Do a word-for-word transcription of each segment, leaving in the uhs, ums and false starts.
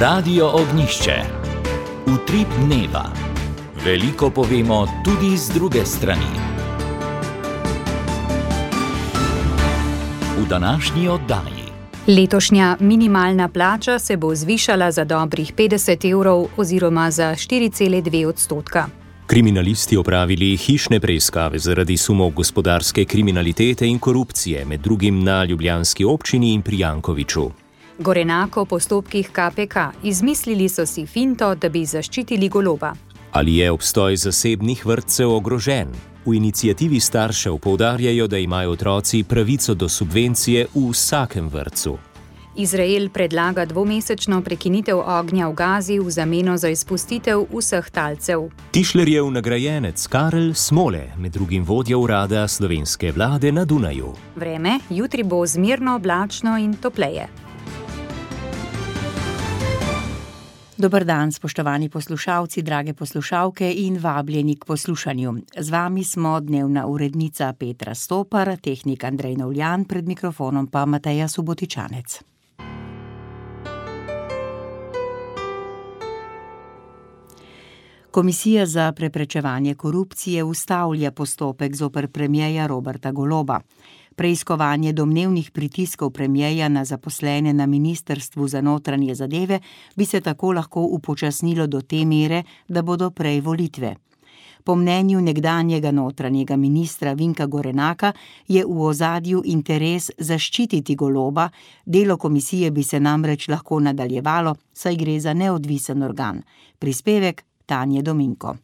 Radio Ognjišče. Utrip dneva. Veliko povemo tudi z druge strani. V današnji oddaji. Letošnja minimalna plača se bo zvišala za dobrih petdeset evrov oziroma za štiri cele dve odstotka. Kriminalisti opravili hišne preiskave zaradi sumov gospodarske kriminalitete in korupcije, med drugim na ljubljanski občini in pri Jankoviću. Gorenak o postopkih K P K. Izmislili so si finto, da bi zaščitili Goloba. Ali je obstoj zasebnih vrtcev ogrožen? V iniciativi staršev poudarjajo, da imajo otroci pravico do subvencije v vsakem vrtcu. Izrael predlaga dvomesečno prekinitev ognja v Gazi v zameno za izpustitev vseh talcev. Tišlerjev nagrajenec Karel Smole, med drugim vodja urada slovenske vlade na Dunaju. Vreme, jutri bo zmerno oblačno in topleje. Dober dan, spoštovani poslušalci, drage poslušalke in vabljeni k poslušanju. Z vami smo dnevna urednica Petra Stopar, tehnik Andrej Novljan, pred mikrofonom pa Mateja Subotičanec. Komisija za preprečevanje korupcije ustavlja postopek zoper premierja Roberta Goloba. Preiskovanje domnevnih pritiskov premierja na zaposlene na Ministrstvu za notranje zadeve bi se tako lahko upočasnilo do te mere, da bodo prej volitve. Po mnenju nekdanjega notranjega ministra Vinka Gorenaka je v ozadju interes zaščititi Goloba, delo komisije bi se namreč lahko nadaljevalo, saj gre za neodvisen organ. Prispevek Tanje Dominko.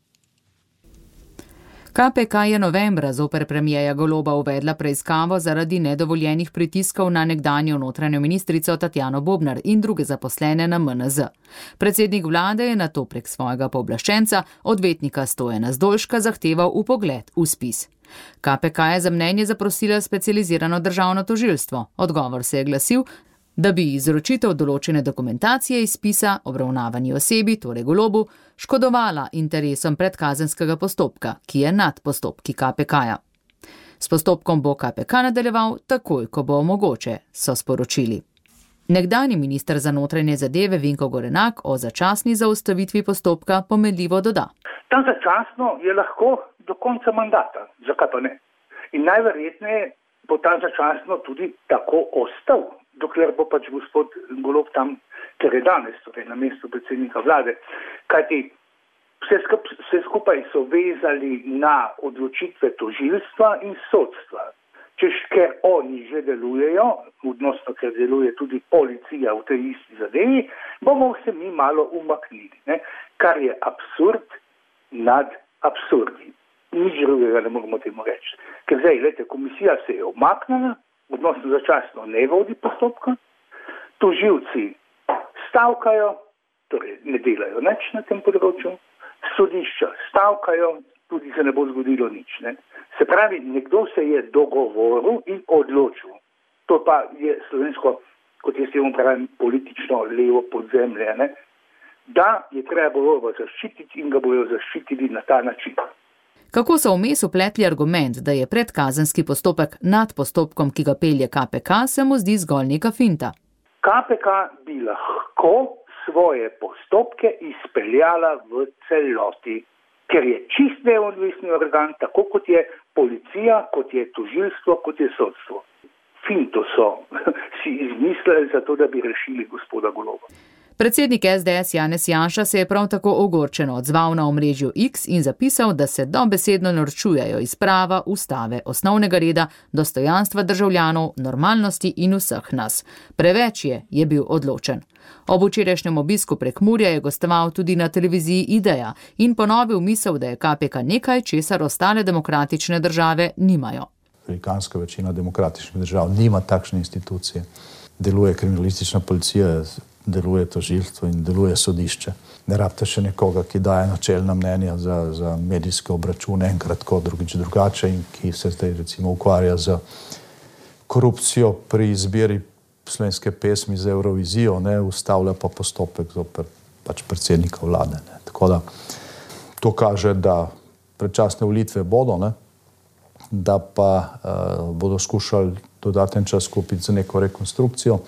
K P K je novembra zoper premierja Goloba uvedla preiskavo zaradi nedovoljenih pritiskov na nekdanjo notranjo ministrico Tatjano Bobnar in druge zaposlene na M N Z. Predsednik vlade je nato prek svojega pooblaščenca, odvetnika Stojana Zdolška, zahteval vpogled v spis. K P K je za mnenje zaprosila specializirano državno tožilstvo. Odgovor se je glasil, da bi izročitev določene dokumentacije iz spisa obravnavani osebi, torej Golobu, škodovala interesom predkazenskega postopka, ki je nad postopki K P K-ja. S postopkom bo K P K nadaljeval takoj, ko bo mogoče, so sporočili. Nekdanji minister za notranje zadeve Vinko Gorenak o začasni zaustavitvi postopka pomenljivo doda. Ta začasno je lahko do konca mandata, zakaj pa ne? In najverjetneje bo ta začasno tudi tako ostal, dokler bo pač gospod Golob tam, ker je danes, torej na mestu predsednika vlade. Kajti vse, skup, vse skupaj so vezali na odločitve tožilstva in sodstva. Češ, ker oni že delujejo, odnosno ker deluje tudi policija v tej isti zadevi, bomo se mi malo umaknili, ne? Kar je absurd nad absurdi. Nič drugega ne moramo temu reči. Ker zdaj, gledajte, komisija se je umaknila, odnosno začasno ne vodi postopka, tožilci stavkajo, torej ne delajo nič na tem področju, sodišča stavkajo, tudi se ne bo zgodilo nič. Ne? Se pravi, nekdo se je dogovoril in odločil. To pa je slovensko, kot jaz temu pravim, politično levo podzemlje, ne? Da je treba Goloba zaščititi in ga bojo zaščitili na ta način. Kako so vmes upletli argument, da je predkazenski postopek nad postopkom, ki ga pelje K P K, se mu zdi zgolj neka finta. K P K bi lahko svoje postopke izpeljala v celoti, ker je čist neodvisni organ, tako kot je policija, kot je tožilstvo, kot je sodstvo. Finto so si izmislili za to, da bi rešili gospoda Goloba. Predsednik S D S Janez Janša se je prav tako ogorčeno odzval na omrežju X in zapisal, da se dobesedno norčujejo iz prava, ustave, osnovnega reda, dostojanstva državljanov, normalnosti in vseh nas. Preveč je, je bil odločen. Ob včerajšnjem obisku Prekmurja je gostoval tudi na televiziji Ideja in ponovil misel, da je K P K nekaj, česar ostale demokratične države nimajo. Velikanska večina demokratičnih držav nima takšne institucije. Deluje kriminalistična policija, deluje tožilstvo in deluje sodišče. Ne rabite še nekoga, ki daje načelna mnenja za, za medijske obračune, enkrat tako, drugič drugače, in ki se zdaj recimo ukvarja z korupcijo pri izbiri slovenske pesmi za Eurovizijo, ne, ustavlja pa postopek zoper pač predsednika vlade. Ne. Tako da to kaže, da predčasne volitve bodo, ne, da pa uh, bodo skušali dodaten čas kupiti za neko rekonstrukcijo.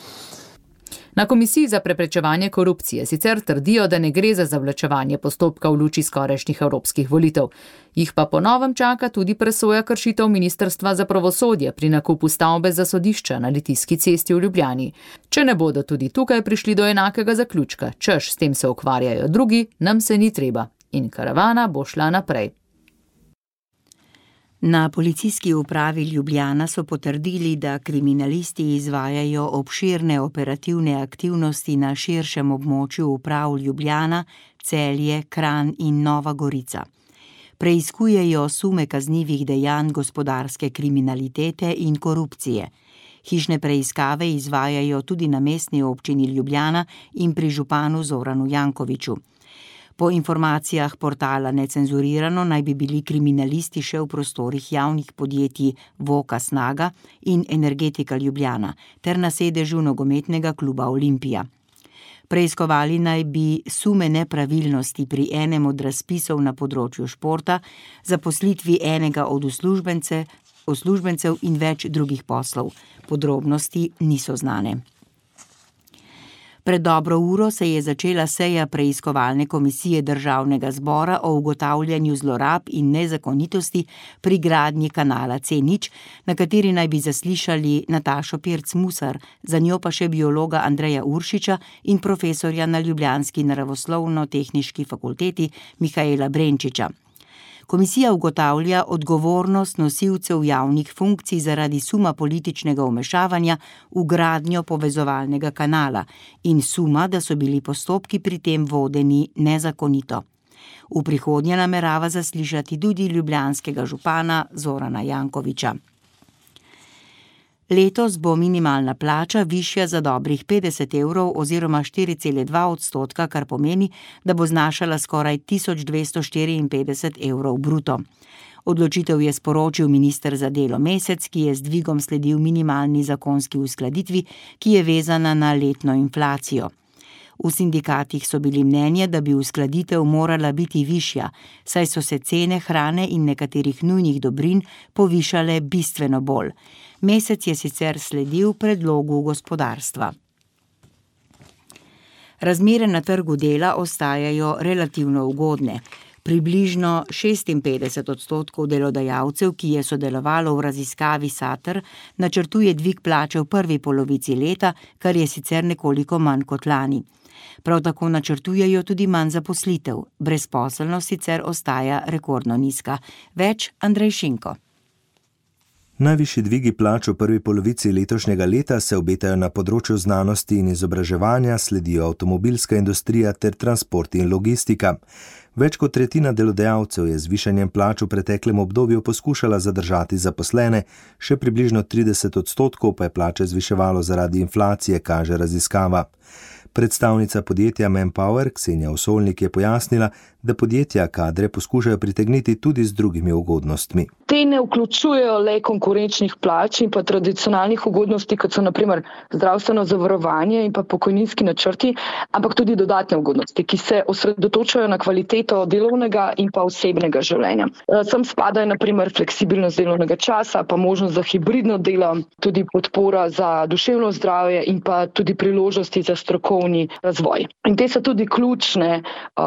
Na Komisiji za preprečevanje korupcije sicer trdijo, da ne gre za zavlačevanje postopka v luči skorajšnjih evropskih volitev. Jih pa po novem čaka tudi presoja kršitev Ministrstva za pravosodje pri nakupu stavbe za sodišča na Litijski cesti v Ljubljani. Če ne bodo tudi tukaj prišli do enakega zaključka, češ s tem se ukvarjajo drugi, nam se ni treba. In karavana bo šla naprej. Na policijski upravi Ljubljana so potrdili, da kriminalisti izvajajo obširne operativne aktivnosti na širšem območju uprav Ljubljana, Celje, Kranj in Nova Gorica. Preiskujejo sume kaznivih dejanj gospodarske kriminalitete in korupcije. Hišne preiskave izvajajo tudi na mestni občini Ljubljana in pri županu Zoranu Jankoviću. Po informacijah portala Necenzurirano naj bi bili kriminalisti še v prostorih javnih podjetij Voka Snaga in Energetika Ljubljana ter na sedežu nogometnega kluba Olimpija. Preiskovali naj bi sume nepravilnosti pri enem od razpisov na področju športa, zaposlitvi enega od uslužbence, uslužbencev in več drugih poslov. Podrobnosti niso znane. Pred dobro uro se je začela seja preiskovalne komisije Državnega zbora o ugotavljanju zlorab in nezakonitosti pri gradnji kanala C nič, na kateri naj bi zaslišali Natašo Pirc-Musar, za njo pa še biologa Andreja Uršiča in profesorja na ljubljanski naravoslovno-tehniški fakulteti Mihaela Brenčiča. Komisija ugotavlja odgovornost nosilcev javnih funkcij zaradi suma političnega vmešavanja v gradnjo povezovalnega kanala in suma, da so bili postopki pri tem vodeni nezakonito. V prihodnje namerava zaslišati tudi ljubljanskega župana Zorana Jankovića. Letos bo minimalna plača višja za dobrih petdeset evrov oziroma štiri cele dva odstotka, kar pomeni, da bo znašala skoraj tisoč dvesto štiriinpetdeset evrov bruto. Odločitev je sporočil minister za delo Mesec, ki je z dvigom sledil minimalni zakonski uskladitvi, ki je vezana na letno inflacijo. V sindikatih so bili mnenja, da bi uskladitev morala biti višja, saj so se cene hrane in nekaterih nujnih dobrin povišale bistveno bolj. Mesec je sicer sledil predlogu gospodarstva. Razmere na trgu dela ostajajo relativno ugodne. Približno šestinpetdeset odstotkov delodajalcev, ki je sodelovalo v raziskavi Sater, načrtuje dvig plače v prvi polovici leta, kar je sicer nekoliko manj kot lani. Prav tako načrtujejo tudi manj zaposlitev. Brezposelnost sicer ostaja rekordno nizka. Več Andrej Šinko. Najvišji dvigi plač v prvi polovici letošnjega leta se obetajo na področju znanosti in izobraževanja, sledijo avtomobilska industrija ter transport in logistika. Več kot tretjina delodajalcev je z višanjem plač v preteklem obdobju poskušala zadržati zaposlene, še približno trideset odstotkov pa je plače zviševalo zaradi inflacije, kaže raziskava. Predstavnica podjetja Manpower, Ksenija Osolnik, je pojasnila, da podjetja kadre poskušajo pritegniti tudi z drugimi ugodnostmi. Te ne vključujejo le konkurenčnih plač in pa tradicionalnih ugodnosti, kot so na primer zdravstveno zavarovanje in pa pokojninski načrti, ampak tudi dodatne ugodnosti, ki se osredotočajo na kvaliteto delovnega in pa osebnega življenja. Sem spadajo na primer fleksibilnost delovnega časa, pa možnost za hibridno delo, tudi podpora za duševno zdravje in pa tudi priložnosti za strokovni razvoj. In te so tudi ključne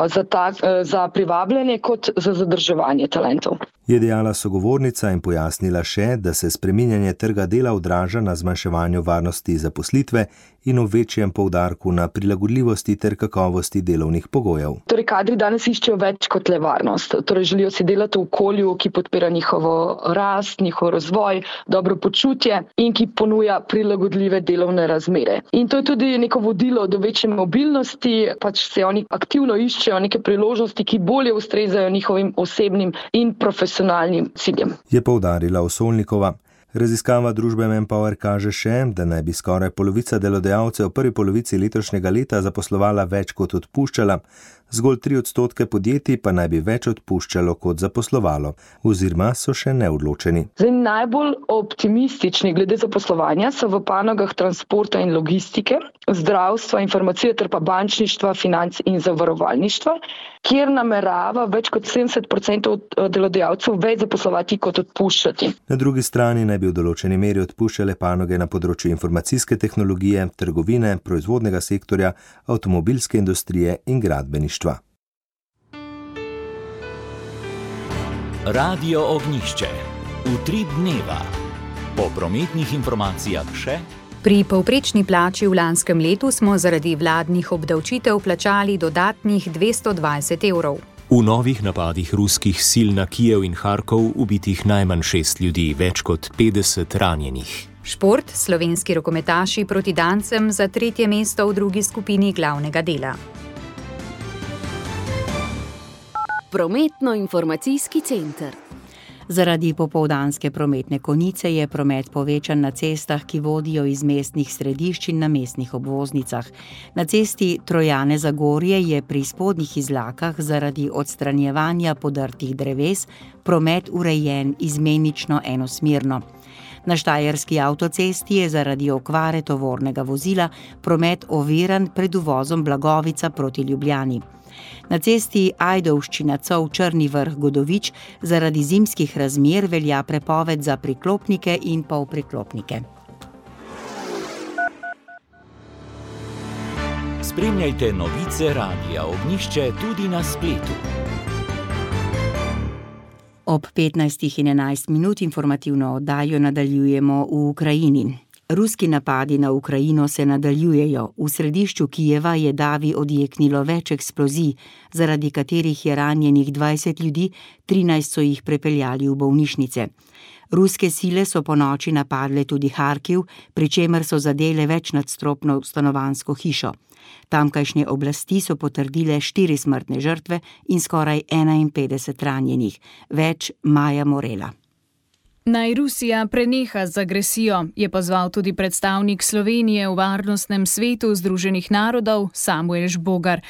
za, ta, za privabljanje kot za zadrževanje talentov. Je dejala sogovornica in pojasnila še, da se spreminjanje trga dela odraža na zmanjševanju varnosti zaposlitve in v večjem poudarku na prilagodljivosti ter kakovosti delovnih pogojev. Torej, kadri danes iščejo več kot le varnost. Torej, želijo si delati v okolju, ki podpira njihovo rast, njihov razvoj, dobro počutje in ki ponuja prilagodljive delovne razmere. In to je tudi neko vodilo do večje mobilnosti, pač se oni aktivno iščejo neke priložnosti, ki bolje ustrezajo njihovim osebnim in profesionalnim ciljem. Je poudarila Osolnikova. Raziskava družbe Manpower kaže še, da naj bi skoraj polovica delodajalcev v prvi polovici letošnjega leta zaposlovala več kot odpuščala. Zgolj tri odstotke podjetij pa naj bi več odpuščalo kot zaposlovalo, oziroma so še neodločeni. Zdaj, najbolj optimistični glede zaposlovanja so v panogah transporta in logistike, zdravstva, informacije ter pa bančništva, financ in zavarovalništva, kjer namerava več kot sedemdeset procentov delodajalcev več zaposlovati kot odpuščati. Na drugi strani naj bi v določeni meri odpuščale panoge na področju informacijske tehnologije, trgovine, proizvodnega sektorja, avtomobilske industrije in gradbeništva. Radio Ognjišče. Utrip dneva. Po prometnih informacijah še. Pri povprečni plači v lanskem letu smo zaradi vladnih obdavčitev plačali dodatnih dvesto dvajset evrov. V novih napadih ruskih sil na Kijev in Harkov ubitih najmanj šest ljudi, več kot petdeset ranjenih. Šport, slovenski rokometaši proti Dancem za tretje mesto v drugi skupini glavnega dela. Prometno-informacijski center. Zaradi popoldanske prometne konice je promet povečan na cestah, ki vodijo iz mestnih središč in na mestnih obvoznicah. Na cesti Trojane Zagorje je pri spodnjih izlakah zaradi odstranjevanja podrtih dreves promet urejen izmenično enosmerno. Na štajerski avtocesti je zaradi okvare tovornega vozila promet oviran pred uvozom Blagovica proti Ljubljani. Na cesti Ajdovščina-Cov Črni Vrh-Godovič zaradi zimskih razmer velja prepoved za priklopnike in polpriklopnike. Spremljajte novice Radia Ognjišče tudi na spletu. Ob petnajstih in enajst minut informativno oddajo nadaljujemo v Ukrajini. Ruski napadi na Ukrajino se nadaljujejo. V središču Kijeva je davi odjeknilo več eksplozij, zaradi katerih je ranjenih dvajset ljudi, trinajst so jih prepeljali v bolnišnice. Ruske sile so ponoči napadle tudi Harkiv, pri čemer so zadele večnadstropno stanovanjsko hišo. Tamkajšnje oblasti so potrdile štiri smrtne žrtve in skoraj enainpetdeset ranjenih. Več Maja Morela. Naj Rusija preneha z agresijo, je pozval tudi predstavnik Slovenije v Varnostnem svetu Združenih narodov Samuel Žbogar.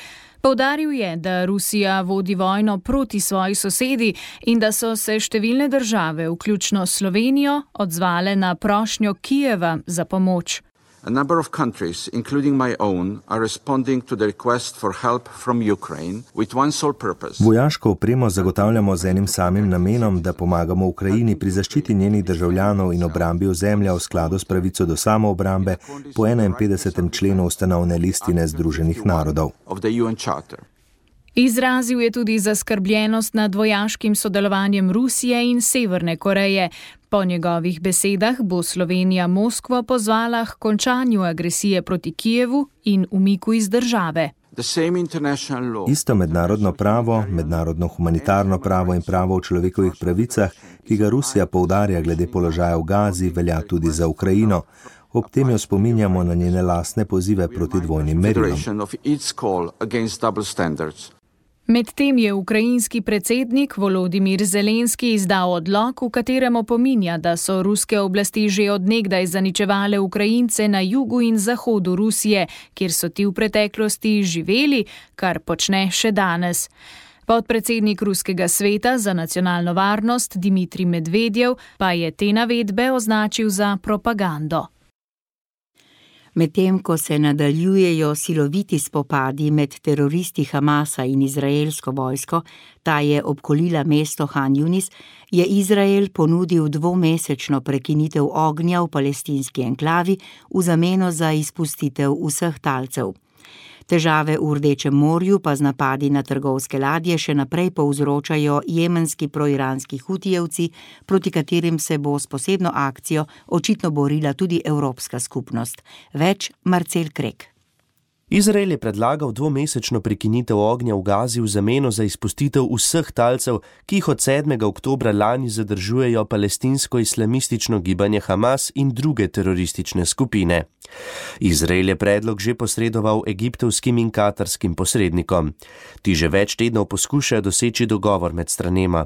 Poudaril je, da Rusija vodi vojno proti svoji sosedi in da so se številne države, vključno Slovenijo, odzvale na prošnjo Kijeva za pomoč. A number of countries, including my own, are responding to the request for help from Ukraine with one sole purpose. Vojaško opremo zagotavljamo z enim samim namenom, da pomagamo Ukrajini pri zaščiti njenih državljanov in obrambi ozemlja v skladu s pravico do samoobrambe po enainpetdesetem členu ustanovne listine Združenih narodov. Izrazil je tudi zaskrbljenost nad vojaškim sodelovanjem Rusije in Severne Koreje. Po njegovih besedah bo Slovenija Moskvo pozvala k končanju agresije proti Kijevu in umiku iz države. Isto mednarodno pravo, mednarodno humanitarno pravo in pravo o človekovih pravicah, ki ga Rusija poudarja glede položaja v Gazi, velja tudi za Ukrajino. Ob tem jo spominjamo na njene lastne pozive proti dvojnim merilom. Medtem je ukrajinski predsednik Volodimir Zelenski izdal odlok, v katerem opominja, da so ruske oblasti že odnegdaj zaničevale Ukrajince na jugu in zahodu Rusije, kjer so ti v preteklosti živeli, kar počne še danes. Podpredsednik Ruskega sveta za nacionalno varnost Dmitrij Medvedjev pa je te navedbe označil za propagando. Medtem ko se nadaljujejo siloviti spopadi med teroristi Hamasa in izraelsko vojsko, ta je obkolila mesto Han Yunis, je Izrael ponudil dvomesečno prekinitev ognja v palestinski enklavi v zameno za izpustitev vseh talcev. Težave v Rdečem morju pa z napadi na trgovske ladje še naprej povzročajo jemenski proiranski hutijevci, proti katerim se bo s posebno akcijo očitno borila tudi Evropska skupnost. Več Marcel Krek. Izrael je predlagal dvomesečno prekinitev ognja v Gazi v zameno za izpustitev vseh talcev, ki jih od sedmega oktobra lani zadržujejo palestinsko-islamistično gibanje Hamas in druge teroristične skupine. Izrael je predlog že posredoval egiptovskim in katarskim posrednikom. Ti že več tednov poskušajo doseči dogovor med stranema.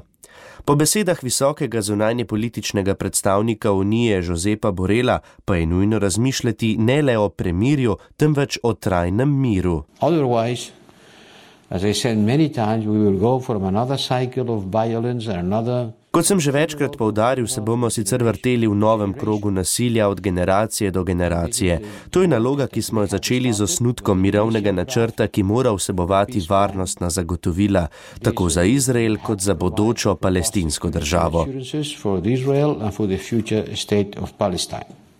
Po besedah visokega zunanjepolitičnega predstavnika Unije Josepa Borela pa je nujno razmišljati ne le o premirju, temveč o trajnem miru. Otherwise, Kot sem že večkrat poudaril, se bomo sicer vrteli v novem krogu nasilja od generacije do generacije. To je naloga, ki smo začeli z osnutkom mirovnega načrta, ki mora vsebovati varnostna zagotovila, tako za Izrael kot za bodočo palestinsko državo.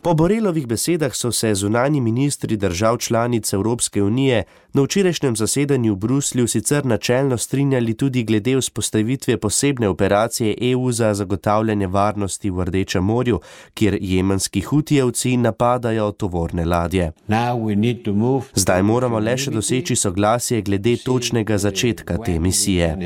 Po Borelovih besedah so se zunanji ministri držav članic Evropske unije na včerajšnjem zasedanju v Bruslju sicer načelno strinjali tudi glede vzpostavitve posebne operacije E U za zagotavljanje varnosti v Rdečem morju, kjer jemenski hutijevci napadajo tovorne ladje. Zdaj moramo le še doseči soglasje glede točnega začetka te misije.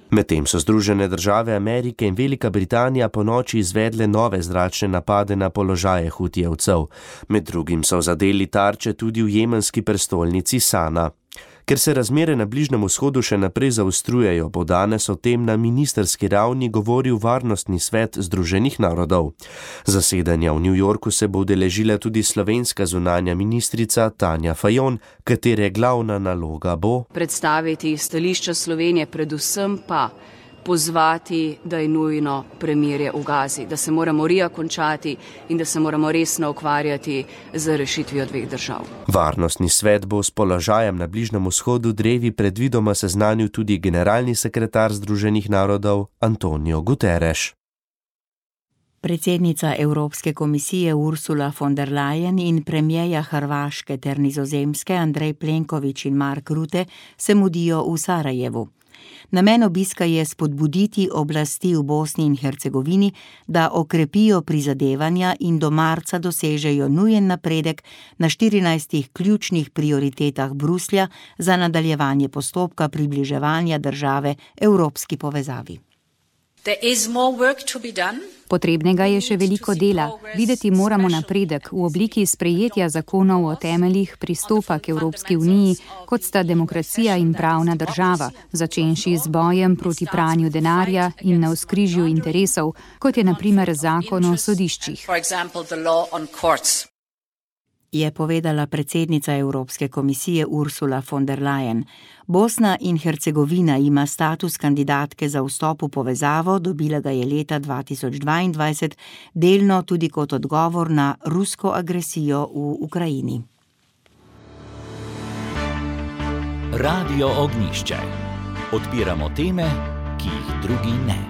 Medtem so Združene države Amerike in Velika Britanija ponoči izvedle nove zračne napade na položaje hutijevcev. Med drugim so zadeli tarče tudi v jemenski prestolnici Sana. Ker se razmere na Bližnjem vzhodu še naprej zaostrujejo, bo danes o tem na ministerski ravni govoril Varnostni svet Združenih narodov. Zasedanja v New Yorku se bo udeležila tudi slovenska zunanja ministrica Tanja Fajon, katere glavna naloga bo predstaviti stališča Slovenije, predvsem pa pozvati, da je nujno premirje v Gazi, da se mora morija končati in da se moramo resno ukvarjati z rešitvijo dveh držav. Varnostni svet bo s položajem na Bližnjem vzhodu drevi predvidoma seznanil tudi generalni sekretar Združenih narodov Antonio Guterres. Predsednica Evropske komisije Ursula von der Leyen in premierja Hrvaške ter Nizozemske Andrej Plenković in Mark Rutte se mudijo v Sarajevu. Namen obiska je spodbuditi oblasti v Bosni in Hercegovini, da okrepijo prizadevanja in do marca dosežejo nujen napredek na štirinajstih ključnih prioritetah Bruslja za nadaljevanje postopka približevanja države evropski povezavi. Potrebnega je še veliko dela. Videti moramo napredek v obliki sprejetja zakonov o temeljih pristopa k Evropski uniji, kot sta demokracija in pravna država, začenši z bojem proti pranju denarja in navzkrižju interesov, kot je na primer zakon o sodiščih. Je povedala predsednica Evropske komisije Ursula von der Leyen. Bosna in Hercegovina ima status kandidatke za vstop v povezavo, dobila ga je leta dva tisoč dvaindvajset, delno tudi kot odgovor na rusko agresijo v Ukrajini. Radio Ognjišče. Odpiramo teme, ki jih drugi ne.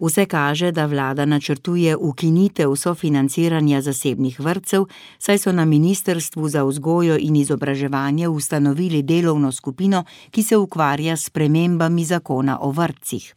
Vse kaže, da vlada načrtuje ukinitev sofinanciranja zasebnih vrtcev, saj so na Ministrstvu za vzgojo in izobraževanje ustanovili delovno skupino, ki se ukvarja s spremembami zakona o vrtcih.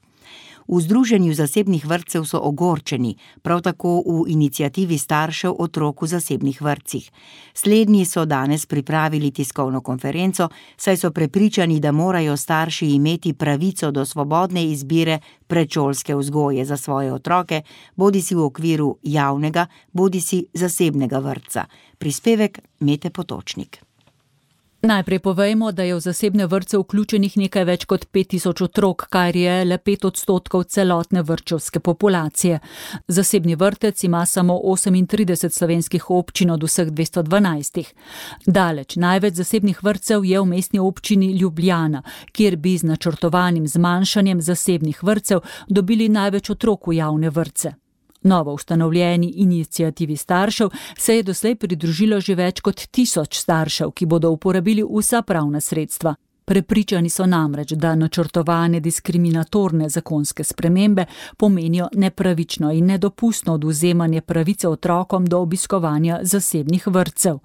V Združenju zasebnih vrtcev so ogorčeni, prav tako v iniciativi staršev otrok v zasebnih vrtcih. Slednji so danes pripravili tiskovno konferenco, saj so prepričani, da morajo starši imeti pravico do svobodne izbire predšolske vzgoje za svoje otroke, bodisi v okviru javnega, bodisi zasebnega vrtca. Prispevek Mete Potočnik. Najprej povejmo, da je v zasebne vrtce vključenih nekaj več kot pet tisoč otrok, kar je le pet odstotkov celotne vrtčevske populacije. Zasebni vrtec ima samo osemintrideset slovenskih občin od vseh dvesto dvanajstih. Daleč največ zasebnih vrtcev je v mestni občini Ljubljana, kjer bi z načrtovanim zmanjšanjem zasebnih vrtcev dobili največ otrok v javne vrtce. Novo ustanovljeni iniciativi staršev se je doslej pridružilo že več kot tisoč staršev, ki bodo uporabili vsa pravna sredstva. Prepričani so namreč, da načrtovane diskriminatorne zakonske spremembe pomenijo nepravično in nedopustno odvzemanje pravice otrokom do obiskovanja zasebnih vrtcev.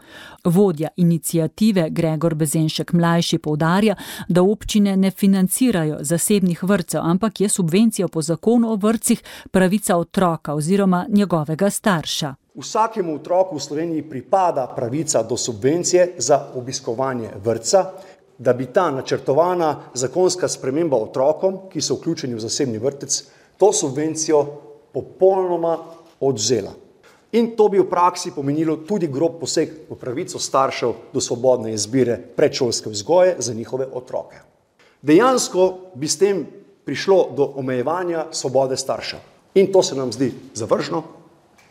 Vodja iniciative Gregor Bezenšek mlajši poudarja, da občine ne financirajo zasebnih vrtcev, ampak je subvencija po zakonu o vrtcih pravica otroka oziroma njegovega starša. Vsakemu otroku v Sloveniji pripada pravica do subvencije za obiskovanje vrtca, da bi ta načrtovana zakonska sprememba otrokom, ki so vključeni v zasebni vrtec, to subvencijo popolnoma odvzela. In to bi v praksi pomenilo tudi grob poseg v pravico staršev do svobodne izbire predšolske vzgoje za njihove otroke. Dejansko bi s tem prišlo do omejevanja svobode staršev. In to se nam zdi zavržno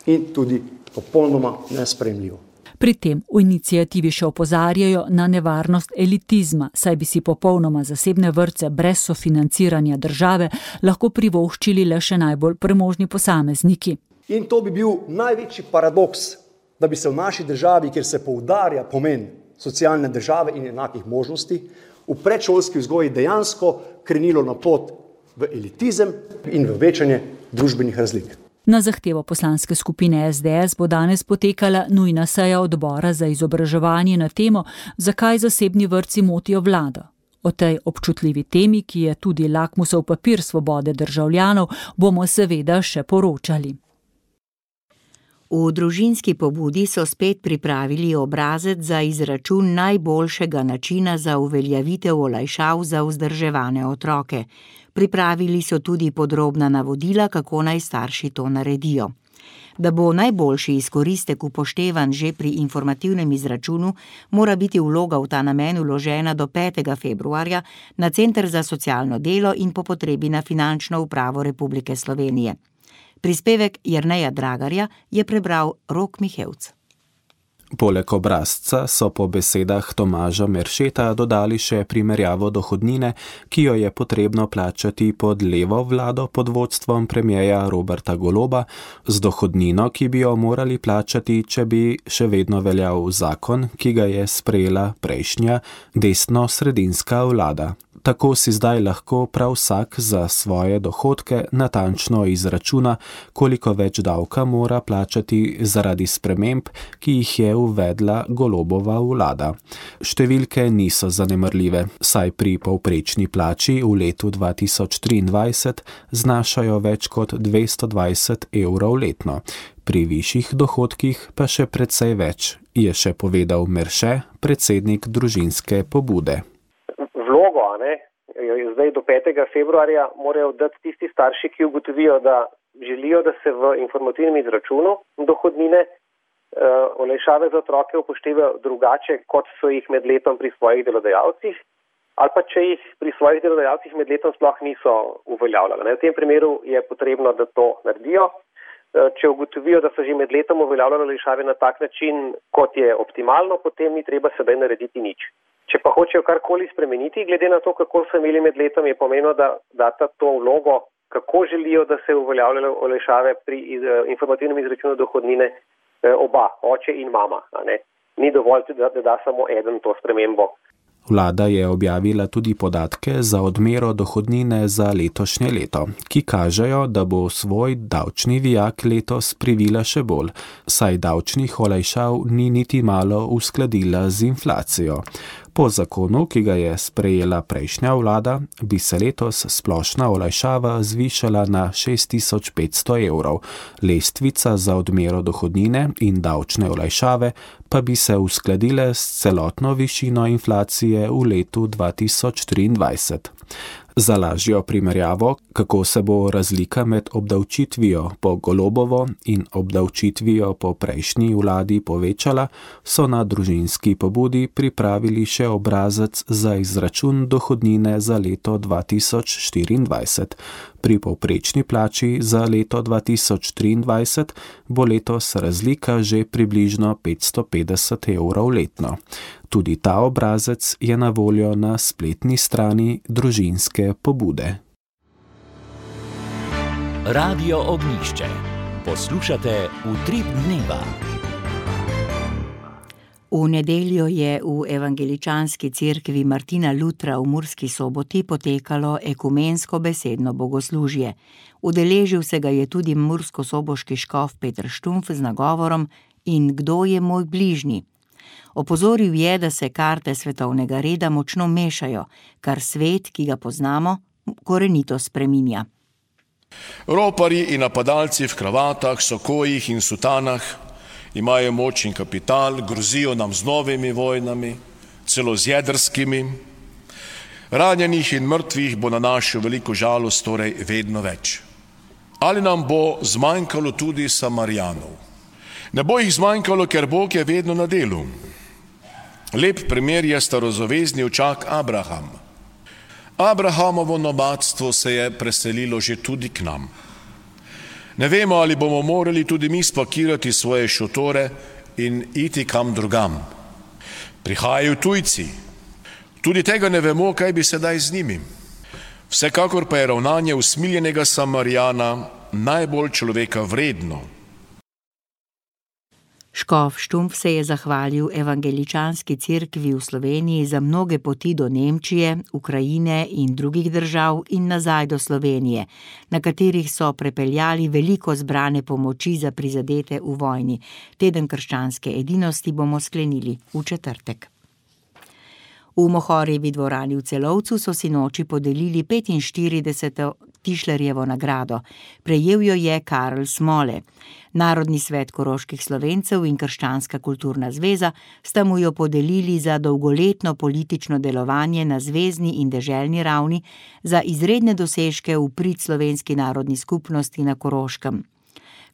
in tudi popolnoma nesprejemljivo. Pri tem v inicijativi še opozarjajo na nevarnost elitizma, saj bi si popolnoma zasebne vrtce brez sofinanciranja države lahko privoščili le še najbolj premožni posamezniki. In to bi bil največji paradoks, da bi se v naši državi, kjer se poudarja pomen socialne države in enakih možnosti, v predšolski vzgoji dejansko krenilo na pot v elitizem in v večanje družbenih razlik. Na zahtevo poslanske skupine es de es bo danes potekala nujna seja odbora za izobraževanje na temo, zakaj zasebni vrtci motijo vlado. O tej občutljivi temi, ki je tudi lakmusov papir svobode državljanov, bomo seveda še poročali. V družinski pobudi so spet pripravili obrazec za izračun najboljšega načina za uveljavitev olajšav za vzdrževane otroke. Pripravili so tudi podrobna navodila, kako naj starši to naredijo. Da bo najboljši izkoristek upoštevan že pri informativnem izračunu, mora biti vloga v ta namen vložena do petega februarja na Center za socialno delo in po potrebi na Finančno upravo Republike Slovenije. Prispevek Jerneja Dragarja je prebral Rok Mihevc. Poleg obrazca so po besedah Tomaža Meršeta dodali še primerjavo dohodnine, ki jo je potrebno plačati pod levo vlado pod vodstvom premierja Roberta Goloba, z dohodnino, ki bi jo morali plačati, če bi še vedno veljal zakon, ki ga je sprejela prejšnja desno-sredinska vlada. Tako si zdaj lahko prav vsak za svoje dohodke natančno izračuna, koliko več davka mora plačati zaradi sprememb, ki jih je uvedla Golobova vlada. Številke niso zanemarljive, saj pri povprečni plači v letu dva tisoč triindvajset znašajo več kot dvesto dvajset evrov letno. Pri višjih dohodkih pa še precej več, je še povedal Merše, predsednik družinske pobude. Vlogo, a ne, zdaj do petega februarja morajo dati tisti starši, ki ugotovijo, da želijo, da se v informativnem izračunu dohodnine uh, olajšave za otroke upoštevajo drugače, kot so jih med letom pri svojih delodajalcih, ali pa če jih pri svojih delodajalcih med letom sploh niso uveljavljali. V tem primeru je potrebno, da to naredijo. Uh, če ugotovijo, da so že med letom uveljavljali olajšave na tak način, kot je optimalno, potem ni treba sedaj narediti nič. Če pa hočejo karkoli spremeniti, glede na to, kako so imeli med letom, je pomenilo, da data to vlogo, kako želijo, da se uveljavljajo olajšave pri iz, informativnem izračunu dohodnine oba, oče in mama. A ne? Ni dovolj, da, da da samo eden to spremembo. Vlada je objavila tudi podatke za odmero dohodnine za letošnje leto, ki kažejo, da bo svoj davčni vijak letos privila še bolj, saj davčnih olajšav ni niti malo uskladila z inflacijo. Po zakonu, ki ga je sprejela prejšnja vlada, bi se letos splošna olajšava zvišala na šest tisoč petsto evrov, lestvica za odmero dohodnine in davčne olajšave pa bi se uskladile s celotno višino inflacije v letu dva tisoč triindvajset. Za lažjo primerjavo, kako se bo razlika med obdavčitvijo po Golobovo in obdavčitvijo po prejšnji vladi povečala, so na družinski pobudi pripravili še obrazec za izračun dohodnine za leto dva tisoč štiriindvajset. Pri povprečni plači za leto dva tisoč triindvajset bo letos razlika že približno petsto petdeset evrov letno. Tudi ta obrazec je na voljo na spletni strani družinske pobude. Radio Ognjišče. Poslušate Utrip dneva. V nedeljo je v evangeličanski cerkvi Martina Lutra v Murski Soboti potekalo ekumensko besedno bogoslužje. Udeležil se ga je tudi murskosoboški škof Peter Štumpf z nagovorom In kdo je moj bližnji? Opozoril je, da se karte svetovnega reda močno mešajo, kar svet, ki ga poznamo, korenito spreminja. Roparji in napadalci v kravatah, sokojih in sutanah imajo moč in kapital, grozijo nam z novimi vojnami, celo z jedrskimi. Ranjenih in mrtvih bo na našo veliko žalost torej vedno več. Ali nam bo zmanjkalo tudi Samarijanov? Ne bo jih zmanjkalo, ker Bog je vedno na delu. Lep primer je starozavezni očak Abraham. Abrahamovo nomadstvo se je preselilo že tudi k nam. Ne vemo, ali bomo morali tudi mi spakirati svoje šotore in iti kam drugam. Prihajajo tujci. Tudi tega ne vemo, kaj bi sedaj z njimi. Vsekakor pa je ravnanje usmiljenega Samarijana najbolj človeka vredno. Škof Štumpf se je zahvalil evangeličanski cerkvi v Sloveniji za mnoge poti do Nemčije, Ukrajine in drugih držav in nazaj do Slovenije, na katerih so prepeljali veliko zbrane pomoči za prizadete v vojni. Teden krščanske edinosti bomo sklenili v četrtek. V Mohorjevi dvorani v Celovcu so sinoči podelili petinštirideseto Tišlerjevo nagrado. Prejel jo je Karl Smole. Narodni svet koroških Slovencev in Krščanska kulturna zveza sta mu jo podelili za dolgoletno politično delovanje na zvezni in deželni ravni, za izredne dosežke v prid slovenski narodni skupnosti na Koroškem.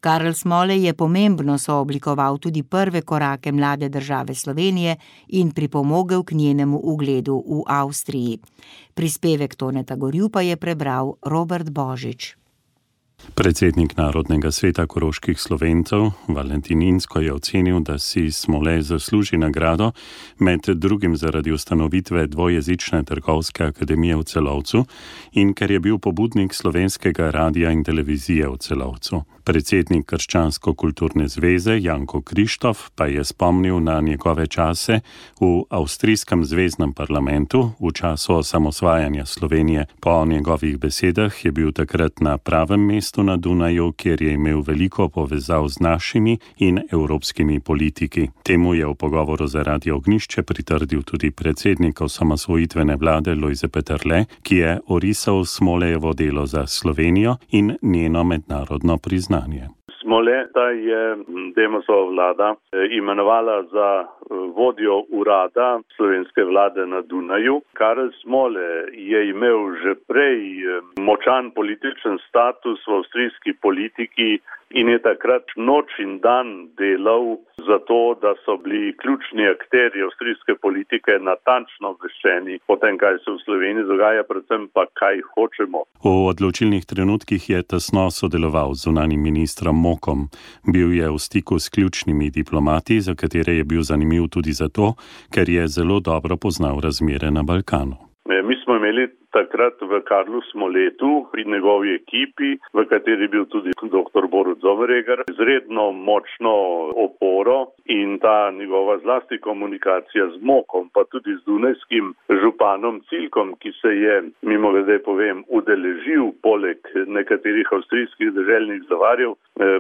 Karl Smole je pomembno sooblikoval tudi prve korake mlade države Slovenije in pripomogel k njenemu ugledu v Avstriji. Prispevek Toneta Gorju pa je prebral Robert Božič. Predsednik Narodnega sveta koroških Slovencev Valentin Inzko je ocenil, da si Smole zasluži nagrado, med drugim zaradi ustanovitve dvojezične trgovske akademije v Celovcu in ker je bil pobudnik slovenskega radia in televizije v Celovcu. Predsednik Krščansko-kulturne zveze Janko Krištof pa je spomnil na njegove čase v avstrijskem zveznem parlamentu v času osamosvajanja Slovenije. Po njegovih besedah je bil takrat na pravem mestu na Dunaju, kjer je imel veliko povezav z našimi in evropskimi politiki. Temu je v pogovoru za Radio Ognjišče pritrdil tudi predsednik osamosvojitvene vlade Lojze Peterle, ki je orisal Smolejevo delo za Slovenijo in njeno mednarodno priznanje. Smole je Demosova vlada imenovala za vodjo urada slovenske vlade na Dunaju. Karl Smole je imel že prej močan političen status v avstrijski politiki in je takrat noč in dan delal za to, da so bili ključni akterji avstrijske politike natančno obveščeni o tem, kaj se v Sloveniji dogaja, predvsem pa kaj hočemo. V odločilnih trenutkih je tesno sodeloval z zunanjim ministrom Mokom. Bil je v stiku s ključnimi diplomati, za katere je bil zanimiv tudi zato, ker je zelo dobro poznal razmere na Balkanu. Mi smo imeli takrat v Karlu Smoletu pri njegovi ekipi, v kateri je bil tudi doktor Borut Zomeregar, izredno močno oporo in ta njegova zlasti komunikacija z Mokom, pa tudi z dunajskim županom Cilkom, ki se je, mimogrede povem, udeležil poleg nekaterih avstrijskih deželnih zavarjev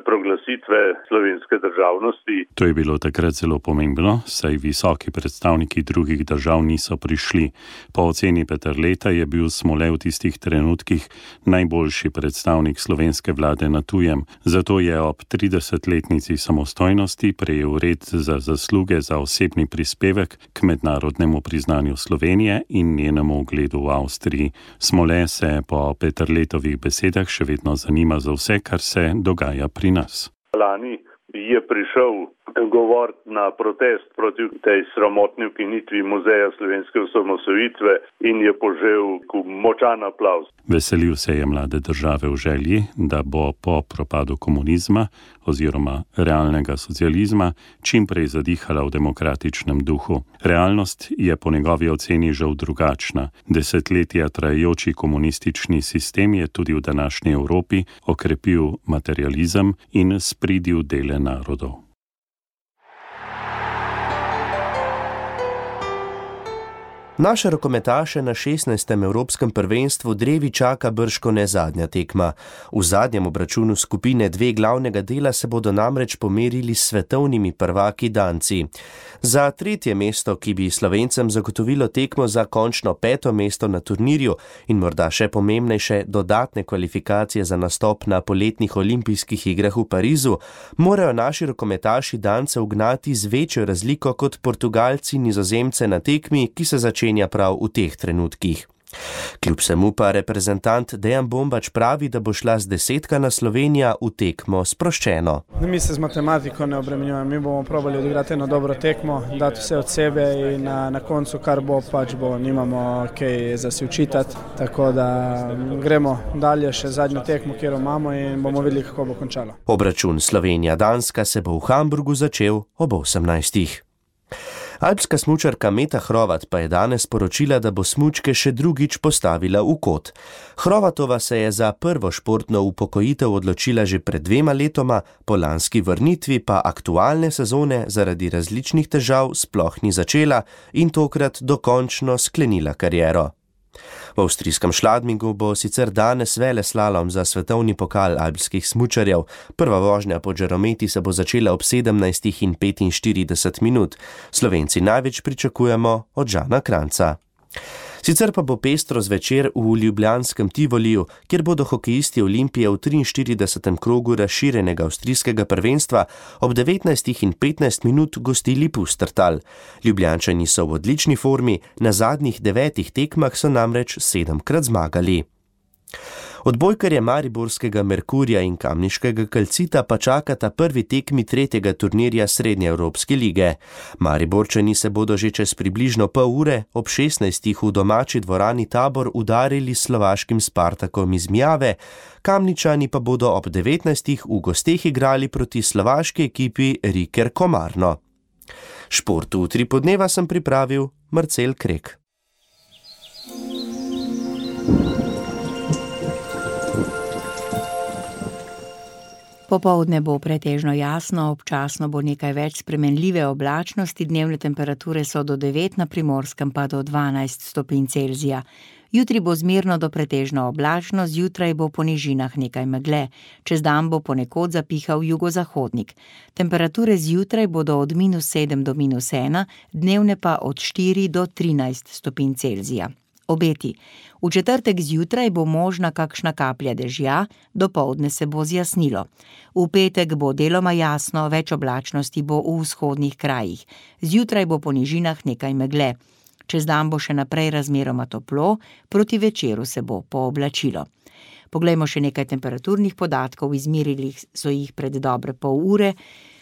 proglasitve slovenske državnosti. To je bilo takrat zelo pomembno, saj visoki predstavniki drugih držav niso prišli. Po oceni Peterleta je bil Smole v tistih trenutkih najboljši predstavnik slovenske vlade na tujem. Zato je ob tridesetletnici samostojnosti prejel red za zasluge za osebni prispevek k mednarodnemu priznanju Slovenije in njenemu ugledu v Avstriji. Smole se po Peterletovih besedah še vedno zanima za vse, kar se dogaja pri nas. Lani je prišel govoriti na protest proti tej sramotni ukinitvi muzeja slovenske osamosvojitve in je požel močan aplavz. Veselil se je mlade države v želji, da bo po propadu komunizma oziroma realnega socializma čim prej zadihala v demokratičnem duhu. Realnost je po njegovi oceni žal drugačna. Desetletja trajajoči komunistični sistem je tudi v današnji Evropi okrepil materializem in spridil dele narodov. Naše rokometaše na šestnajstem evropskem prvenstvu drevi čaka bržkone zadnja tekma. V zadnjem obračunu skupine dve glavnega dela se bodo namreč pomerili s svetovnimi prvaki Danci. Za tretje mesto, ki bi Slovencem zagotovilo tekmo za končno peto mesto na turnirju in morda še pomembnejše dodatne kvalifikacije za nastop na poletnih olimpijskih igrah v Parizu, morajo naši rokometaši Dance ugnati z večjo razliko kot Portugalci Nizozemce na tekmi, ki se začenja prav v teh trenutkih. Kljub vsemu pa reprezentant Dejan Bombač pravi, da bo šla z desetkana Slovenija v tekmo sproščeno. Mi se z matematiko ne obremenjujemo, mi bomo probali odigrati eno dobro tekmo, dati vse od sebe in na, na koncu kar bo, pač bo, nimamo kaj za si učitati, tako da gremo dalje še zadnjo tekmo, kjer imamo in bomo videli, kako bo končalo. Obračun Slovenija-Danska se bo v Hamburgu začel ob osemnajstih. Alpska smučarka Meta Hrovat pa je danes sporočila, da bo smučke še drugič postavila v kot. Hrovatova se je za prvo športno upokojitev odločila že pred dvema letoma, po lanski vrnitvi pa aktualne sezone zaradi različnih težav sploh ni začela in tokrat dokončno sklenila kariero. V avstrijskem Schladmingu bo sicer danes veleslalom za svetovni pokal alpskih smučarjev. Prva vožnja po žarometi se bo začela ob sedemnajstih in petinštirideset minut. Slovenci največ pričakujemo od Žana Kranjca. Sicer pa bo pestro zvečer v ljubljanskem Tivoliju, kjer bodo hokejisti Olimpije v triinštiridesetem krogu razširjenega avstrijskega prvenstva ob devetnajstih in petnajst minut gostili Pustertal. Ljubljančani so v odlični formi, na zadnjih devetih tekmah so namreč sedemkrat zmagali. Odbojkarje mariborskega Merkurja in kamniškega Kalcita pa čakata prvi tekmi tretjega turnirja Srednjeevropske lige. Mariborčani se bodo že čez približno pol ure ob šestnajstih v domači dvorani Tabor udarili s slovaškim Spartakom iz Mjave, Kamničani pa bodo ob devetnajstih v gosteh igrali proti slovaški ekipi Riker Komarno. Šport v tri podneva sem pripravil Marcel Krek. Popoldne bo pretežno jasno, občasno bo nekaj več spremenljive oblačnosti, dnevne temperature so do devet, na Primorskem pa do dvanajst stopinj Celzija. Jutri bo zmerno do pretežno oblačno, zjutraj bo po nižinah nekaj megle, čez dan bo ponekod zapihal jugozahodnik. Temperature zjutraj bodo od minus sedem do minus ena, dnevne pa od štiri do trinajst stopinj Celzija. Obeti. V četrtek zjutraj bo možna kakšna kaplja dežja, dopoldne se bo zjasnilo. V petek bo deloma jasno, več oblačnosti bo v vzhodnih krajih. Zjutraj bo po nižinah nekaj megle. Čez dan bo še naprej razmeroma toplo, proti večeru se bo pooblačilo. Poglejmo še nekaj temperaturnih podatkov, izmerili so jih pred dobre pol ure.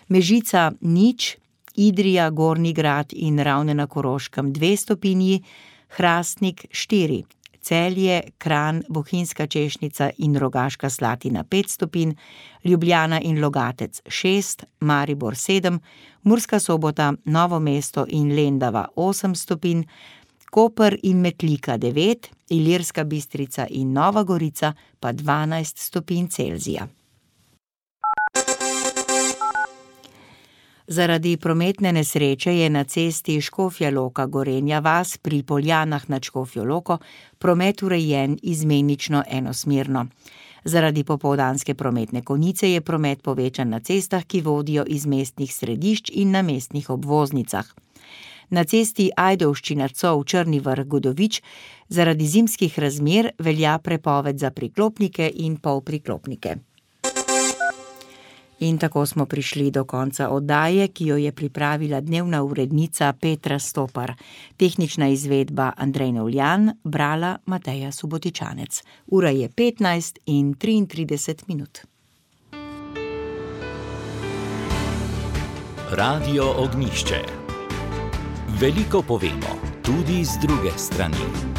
Mežica nič, Idrija, Gornji Grad in Ravne na Koroškem dve stopinji, Hrastnik štiri, Celje, Kranj, Bohinjska Češnica in Rogaška Slatina pet stopinj, Ljubljana in Logatec šest, Maribor sedem, Murska Sobota, Novo mesto in Lendava osem stopinj, Koper in Metlika devet, Ilirska Bistrica in Nova Gorica pa dvanajst stopinj Celzija. Zaradi prometne nesreče je na cesti Škofja Loka Gorenja vas pri Poljanah nad Škofjo Loko promet urejen izmenično enosmerno. Zaradi popoldanske prometne konice je promet povečan na cestah, ki vodijo iz mestnih središč in na mestnih obvoznicah. Na cesti Ajdovščina-Cov Črni Vrh Godovič zaradi zimskih razmer velja prepoved za priklopnike in polpriklopnike. In tako smo prišli do konca oddaje, ki jo je pripravila dnevna urednica Petra Stopar. Tehnična izvedba Andrej Novljan, brala Mateja Subotičanec. Ura je petnajst in triintrideset minut. Radio Ognjišče. Veliko povemo, tudi z druge strani.